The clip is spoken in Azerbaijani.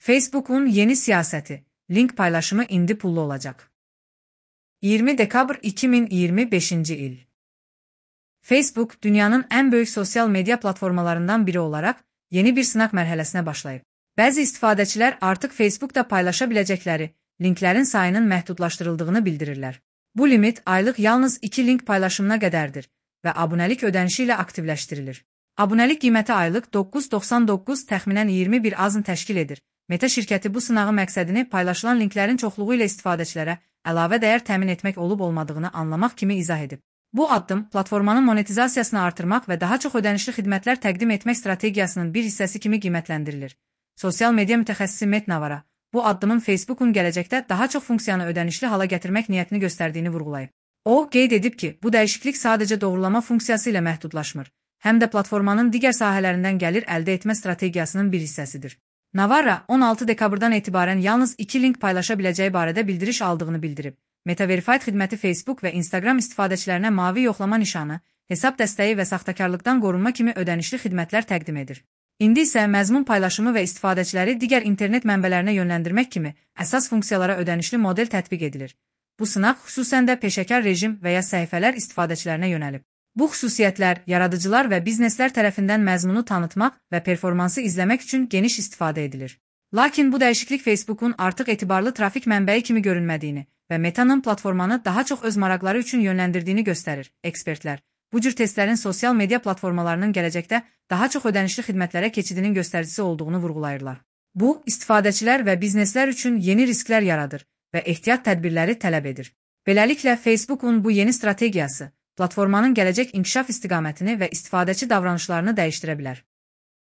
Facebook'un yeni siyaseti, link paylaşımı indi pullu olacak. 20 dekabr 2025 il. Facebook, dünyanın en büyük sosyal medya platformalarından biri olarak yeni bir sınaq mərhələsinə başlayıb. Bəzi istifadəçilər artıq Facebook'da paylaşabilecekleri linklerin sayının məhdudlaşdırıldığını bildirirlər. Bu limit aylıq yalnız 2 link paylaşımına qədərdir və abonelik ödənişi ilə aktivləşdirilir. Abonelik qiyməti aylıq 9.99 təxminən 21 azın təşkil edir. Meta şirkəti bu sınağın məqsədini paylaşılan linklərin çoxluğu ilə istifadəçilərə əlavə dəyər təmin etmək olub-olmadığını anlamaq kimi izah edib. Bu addım, platformanın monetizasiyasını artırmaq və daha çox ödənişli xidmətlər təqdim etmək strategiyasının bir hissəsi kimi qiymətləndirilir. Sosial media mütəxəssisi Matt Navarra, bu addımın Facebook'un gələcəkdə daha çox funksiyanı ödənişli hala gətirmək niyyətini göstərdiyini vurğulayıb. O, qeyd edib ki, bu dəyişiklik sadəcə doğrulama funksiyası ilə məhdudlaşmır, həm də platformanın digər sahələrindən gəlir əldə etmə strategiyasının bir hissəsidir. Navarra, 16 dekabrdan etibarən yalnız 2 link paylaşa biləcəyi barədə bildiriş aldığını bildirib. Meta Verified xidməti Facebook və Instagram istifadəçilərinə mavi yoxlama nişanı, hesab dəstəyi və saxtakarlıqdan qorunma kimi ödənişli xidmətlər təqdim edir. İndi isə məzmun paylaşımı və istifadəçiləri digər internet mənbələrinə yönləndirmək kimi əsas funksiyalara ödənişli model tətbiq edilir. Bu sınaq xüsusən də peşəkar rejim və ya səhifələr istifadəçilərinə yönəlib. Bu xüsusiyyətlər yaradıcılar və bizneslər tərəfindən məzmunu tanıtmaq və performansı izləmək üçün geniş istifadə edilir. Lakin bu dəyişiklik Facebook'un artıq etibarlı trafik mənbəyi kimi görünmədiyini və Meta'nın platformanı daha çox öz maraqları üçün yönləndirdiyini göstərir. Ekspertlər, bu cür testlərin sosial media platformalarının gələcəkdə daha çox ödənişli xidmətlərə keçidinin göstəricisi olduğunu vurğulayırlar. Bu, istifadəçilər və bizneslər üçün yeni risklər yaradır və ehtiyat tədbirləri tələb edir. Beləliklə, Facebook'un bu yeni strategiyası platformanın gələcək inkişaf istiqamətini və istifadəçi davranışlarını dəyişdirə bilər.